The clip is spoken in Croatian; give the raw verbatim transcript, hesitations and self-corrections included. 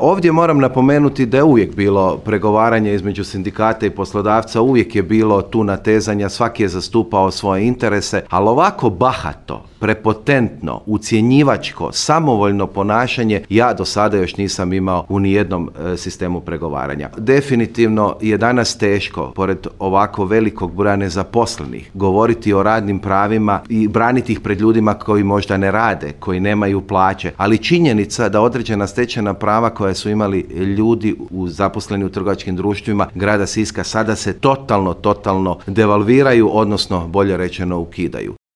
Ovdje moram napomenuti da je uvijek bilo pregovaranje između sindikata i poslodavca, uvijek je bilo tu natezanja, svaki je zastupao svoje interese, ali ovako bahato, prepotentno, ucjenjivačko, samovoljno ponašanje ja do sada još nisam imao u nijednom e, sistemu pregovaranja. Definitivno je danas teško, pored ovako velikog broja nezaposlenih, govoriti o radnim pravima i braniti ih pred ljudima koji možda ne rade, koji nemaju plaće, ali činjenica da određena stečena prava koja su imali ljudi u zaposleni u trgovačkim društvima grada Siska sada se totalno, totalno devalviraju, odnosno bolje rečeno ukidaju.